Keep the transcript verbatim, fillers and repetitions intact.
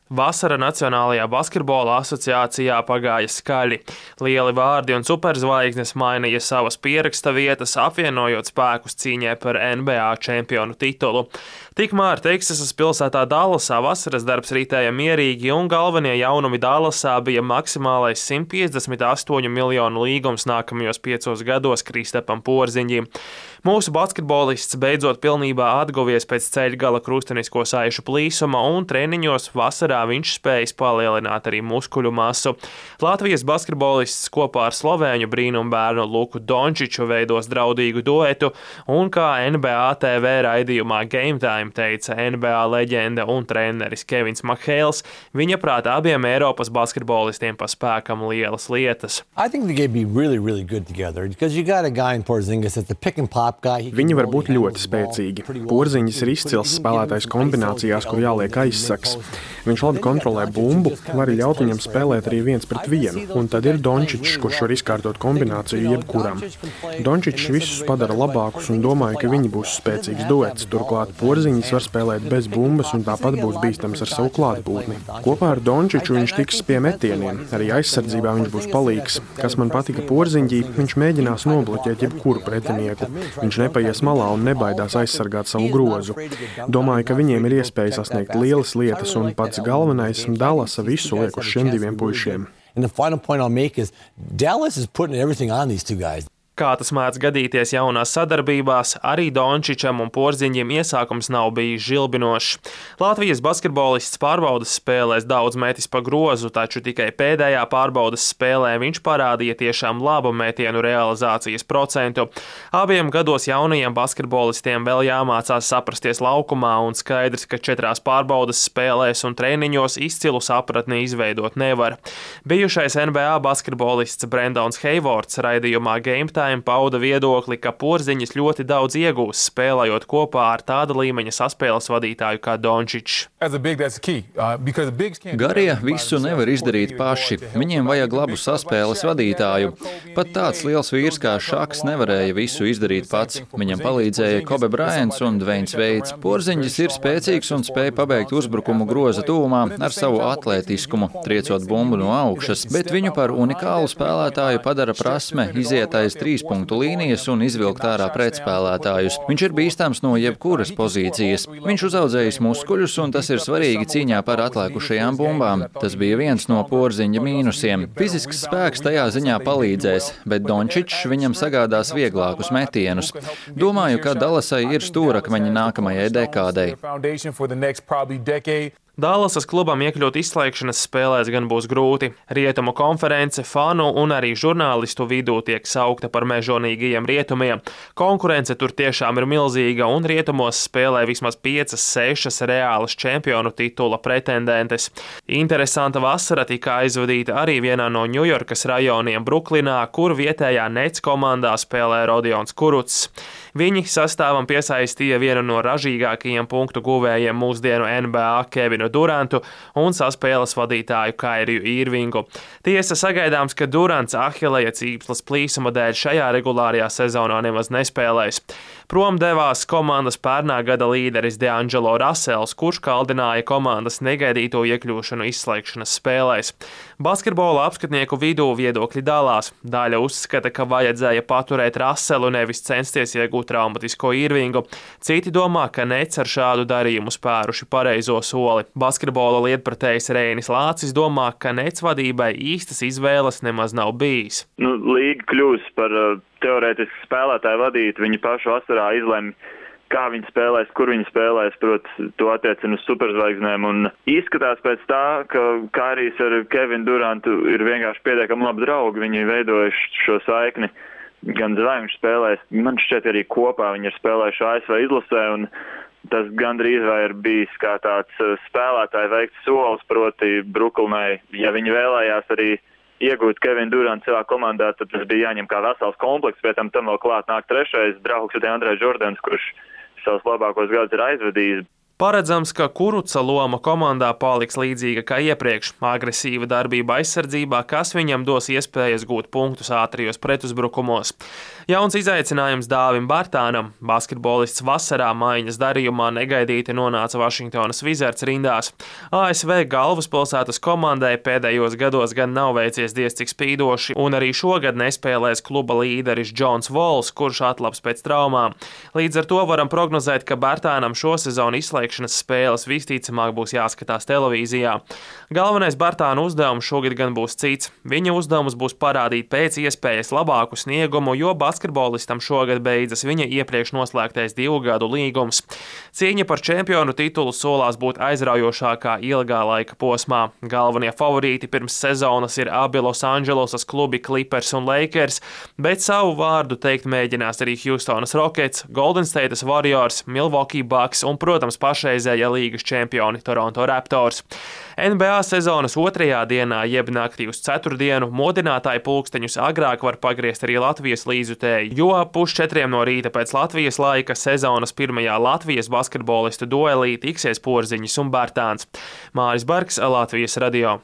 Vasara Nacionālajā basketbola asociācijā pagāja skaļi. Lieli vārdi un superzvaigznes mainīja savas pieraksta vietas, apvienojot spēkus cīņai par N B A čempionu titulu. Tikmēr Teksasas pilsētā Dallasā vasaras darbs ritēja mierīgi, un galvenie jaunumi Dallasā bija maksimālais simt piecdesmit astoņu miljonu līgums nākamajos piecos gados Kristapam Porziņģim. Mūsu basketbolists beidzot pilnībā atguvies pēc ceļgala krustenisko saišu plīsuma, un treniņos vasarā viņš spējas palielināt arī muskuļu masu. Latvijas basketbolists kopā ar slovēņu brīnumbērnu Luku Dončiču veidos draudīgu duetu, un kā N B A T V raidījumā Game Time teica N B A leģenda un treneris Kevins Mahēls, viņa prāt abiem Eiropas basketbolistiem pa spēkam lielas lietas. Really, really Viņi var būt ļoti spēcīgi. Porziņģis ir izcils spēlētājs kombinācijās, kur jāliek aizsaks. Viņš labi kontrolē bumbu, var ļaut viņam spēlēt arī viens pret vienu, un tad ir Dončičs, kurš var izkārtot kombināciju jebkuram. Dončičs visus padara labākus un domāju, ka viņi būs spēcīgs duets. Turklāt Porziņģis var spēlēt bez bumbas un tāpat būs bīstams ar savu klātbūtni. Kopā ar Dončiču viņš tiks pie metieniem, arī aizsardzībā viņš būs palīgs. Kas man patika Porziņģī, viņš mēģinās nobloķēt jebkuru pretinieku. Viņš nepaies malā un nebaidās aizsargāt savu grozu. Domāju, ka viņiem ir iespēja sasniegt lielas lietas, un pats galvenais Dallasa visu liek uz šiem diviem puišiem. Kā tas mēdz gadīties jaunās sadarbībās, arī Dončičam un Porziņģim iesākums nav bijis žilbinošs. Latvijas basketbolists pārbaudas spēlēs daudz metis pa grozu, taču tikai pēdējā pārbaudas spēlē viņš parādīja tiešām labu metienu realizācijas procentu. Abiem gados jaunajiem basketbolistiem vēl jāmācās saprasties laukumā, un skaidrs, ka četrās pārbaudas spēlēs un treniņos izcilu sapratni izveidot nevar. Bijušais N B A basketbolists Brendons Hayvords raidījumā Game Time pauda viedokli, ka Porziņģis ļoti daudz iegūs, spēlējot kopā ar tāda līmeņa saspēles vadītāju kā Dončičs. Garie visu nevar izdarīt paši. Viņiem vajag labu saspēles vadītāju. Pat tāds liels vīrs kā Šaks nevarēja visu izdarīt pats. Viņam palīdzēja Kobe Bryants un Dveins Veids. Porziņģis ir spēcīgs un spēja pabeigt uzbrukumu groza tuvumā ar savu atlētiskumu, triecot bumbu no augšas, bet viņu par unikālu spēlētāju padara prasme iziet aiz trīs punktu līnijas un izvilkt ārā pretspēlētājus. Viņš ir bīstams no jebkuras pozīcijas. Viņš uzaudzējis muskuļus, un tas ir svarīgi cīņā par atlēkušajām bumbām. Tas bija viens no Porziņģa mīnusiem. Fizisks spēks tajā ziņā palīdzēs, bet Dončičs viņam sagādās vieglākus metienus. Domāju, ka Dallasai ir stūrakmeņi nākamajai dekādei. Dallasas klubam iekļūt izslēgšanas spēlēs gan būs grūti. Rietumu konference fanu un arī žurnālistu vidū tiek saukta par mežonīgajiem rietumiem. Konkurence tur tiešām ir milzīga, un rietumos spēlē vismaz piecas, sešas reālas čempionu titula pretendentes. Interesanta vasara tika aizvadīta arī vienā no Ņujorkas rajoniem Bruklinā, kur vietējā Nets komandā spēlē Rodions Kurucs. Viņi sastāvam piesaistīja vienu no ražīgākajiem punktu guvējiem mūsdienu N B A Kevinu Durantu un saspēles vadītāju Kairiju Irvingu. Tiesa sagaidāms, ka Durants Ahileja cīpslas plīsuma dēļ šajā regulārajā sezonā nemaz nespēlēs. Prom devās komandas pērnā gada līderis DeAngelo Russells, kurš kaldināja komandas negaidīto iekļūšanu izslēgšanas spēlēs. Basketbola apskatnieku vidū viedokļi dalās. Daļa uzskata, ka vajadzēja paturēt Russellu, nevis censties iegūt traumatisko Irvingu. Citi domā, ka Nets ar šādu darījumu spēruši pareizo soli. Basketbola lietpratējs Reinis Lācis domā, ka Nets vadībai īstas izvēles nemaz nav bijis. Nu, līga kļūs par uh, teorētiski spēlētāju vadīt, viņi paši vasarā izlemj, kā viņi spēlēs, kur viņi spēlēs, proti, to attiecina uz superzvaigznēm. Un izskatās pēc tā, ka Kairijs ar Kevinu Durantu ir vienkārši pietiekami labi draugi, viņi veidojuši šo saikni. Gan zvai viņš spēlēs, man šķiet arī kopā viņi ir spēlējuši A S V izlasē, un tas gandrīz vai ir bijis kā tāds spēlētāju veikts solis, proti Bruklinai. Ja viņi vēlējās arī iegūt Kevinu Durantu savā komandā, tad tas bija jāņem kā vesels komplekss, pēc tam vēl klāt nāk trešais draugs, Andrejs Jordans, kurš savus labākos gadus ir aizvadījis. Paredzams, ka Kuruca loma komandā paliks līdzīga kā iepriekš - agresīva darbība aizsardzībā, kas viņam dos iespējas gūt punktus ātrijos pretuzbrukumos. Jauns izaicinājums Dāvim Bartānam. Basketbolists vasarā maiņas darījumā negaidīti nonāca Vašingtonas Wizards rindās. A S V galvaspilsētas komandai pēdējos gados gan nav veicies diez cik spīdoši, un arī šogad nespēlēs kluba līderis Džons Vols, kurš atlabs pēc traumām. Līdz ar to varam prognozēt, ka Bartānam šo sezonu izslēgšanas spēles visticamāk būs jāskatās televīzijā. Galvenais Bartāna uzdevums šogad gan būs cits. Viņa uzdevums būs parādīt pēc iespējas labāku sniegumu, jo basketbolistam šogad beidzas viņa iepriekš noslēgtais divu gadu līgums. Cīņa par čempionu titulu solās būt aizraujošākā ilgā laika posmā. Galvenie favorīti pirms sezonas ir abi Losandželosas klubi Clippers un Lakers, bet savu vārdu teikt mēģinās arī Houstonas Rockets, Golden States Warriors, Milwaukee Bucks un, protams, pašreizējā līgas čempioni Toronto Raptors. N B A sezonas otrajā dienā, jeb naktī uz ceturtdienu, modinātāju pulksteņus agrāk var pagriezt arī Latvijas līdzjutēji, jo ap pusčetriem no rīta pēc Latvijas laika sezonas pirmajā Latvijas basketbolistu duelī tiksies Porziņš un Bartāns. Māris Bergs, Latvijas radio.